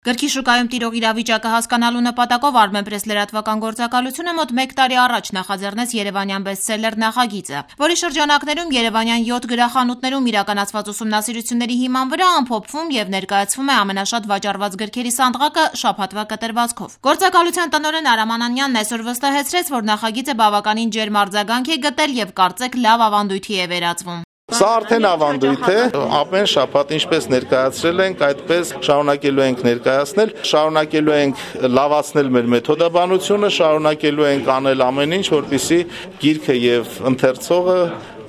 Գրքի շուկայում տիրող իրավիճակը հասկանալու նպատակով Armenpress լրատվական գործակալությունը մոտ 1 տարի առաջ նախաձեռնեց երևանյան բեսթսելլեր նախագիծը, որի շրջանակներում երևանյան 7 գրախանութներում իրականացված ուսումնասիրությունների հիման վրա ամփոփվում եւ ներկայացվում է ամենաշատ վաճառված գրքերի սանդղակը շաբաթվա կտրվածքով։ Գործակալության տնօրեն Արամ Անանյանն այսօր վստահեցրեց, որ նախագիծը բավականին ջերմ արձագանք է գտել եւ կարծեք լավ ավանդույթի է վերածվում։ Սա արդեն ավանդույթ է, ամեն շաբաթ ինչպես ներկայացրել ենք, այդպես շարունակելու ենք ներկայացնել, շարունակելու ենք լավացնել մեր մեթոդաբանությունը, շարունակելու ենք անել ամեն ինչ, որպեսզի գիրքը եւ ընթերցողը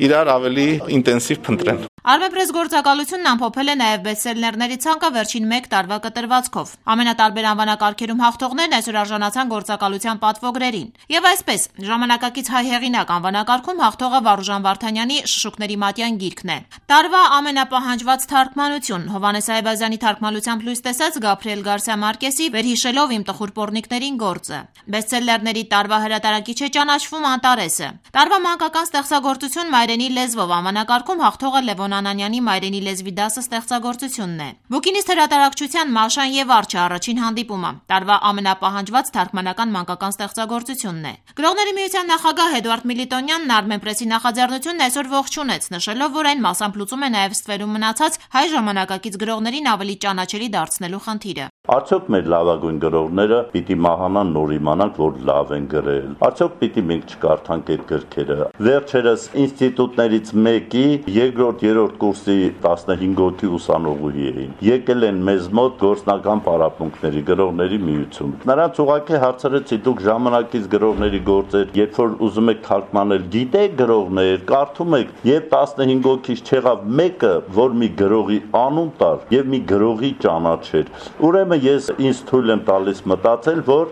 իրար ավելի ինտենսիվ փնտրեն։ Armenpress գործակալությունն ամփոփել է նաև բեսթսելլերների ցանկը վերջին 1 տարվա կտրվածքով։ Ամենատարբեր անվանակարգերում հաղթողներն այսօր արժանացան գործակալության պատվոգրերին։ Եվ այսպես, ժամանակակից հայ հեղինակ անվանակարգում հաղթողը Վարուժան Վարդանյանի Շշուկների մատյան գիրքն է։ Տարվա ամենապահանջված թարգմանություն Հովհաննես Այվազյանի թարգմանությամբ լույս տեսած Գաբրիել Գարսիա Մարկեսի «Վերհիշելով իմ տխուր պոռնիկներին» գործը։ Բեսթսելլերների տարվա հրատարակիչ է ճանաչվում Անտարեսը։ Տարվա մանկական ստեղծագործություն մայրենի լեզվով անվանակարգում հաղթողը Լևոն Անանյանի «Մայրենի լեզվի դասը» ստեղծագործությունն է։ Բուկինիստ հրատարակչության Մաշան եւ Արջը առաջին հանդիպումը տարվա ամենապահանջված թարգմանական մանկական ստեղծագործությունն է։ Գրողների միության նախագահ Էդուարդ Միլիտոնյանն Armenpress-ի նախաձեռնությունն այսօր ողջունեց, նշելով, որ այն մասամբ լուծում է նաև ստվերում մնացած հայ ժամանակակից գրողներին ավելի ճանաչելի դարձնելու խնդիրը։ Արդյոք մեր լավագույն գրողները պիտի մահանան նոր իմանանք, որ լավ են գրել։ Արդյոք պիտի մենք չկարդանք այդ գրքերը։ Վերջերս ինստիտուտներից մեկի երկրորդ, երրորդ կուրսի 15 հոգի ուսանողուհի էին։ Եկել են մեզ մոտ գործնական պարապմունքների գրողների միություն։ Նրանց ուղղակի հարցրեցի՝ դուք ժամանակից գրողների գործեր, երբ որ ուզում եք թարգմանել, գիտեք գրողներ, կարդում եք, եւ 15 հոգից չեղավ մեկը, որ մի գրողի անուն տար եւ մի գրողի ճանաչեր։ Ուրեմն ես ինձ թույլ եմ տալիս մտածել, որ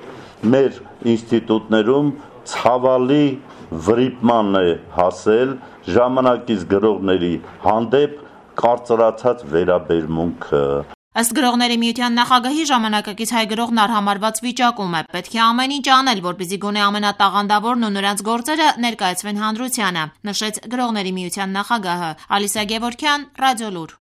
մեր ինստիտուտներում ցավալի վրիպման է հասել ժամանակից գրողների հանդեպ կարծրացած վերաբերմունքը։ Ըստ գրողների միության նախագահի ժամանակակից հայ գրողն արհամարված վիճակում է։ Պետք է ամեն ինչ անել, որպեսզի գոնե ամենատաղանդավորն ու նրանց գործերը ներկայացվեն հանրությանը, նշեց գրողների միության նախագահը։ Ալիսա Գևորգյան, Ռադիոլուր։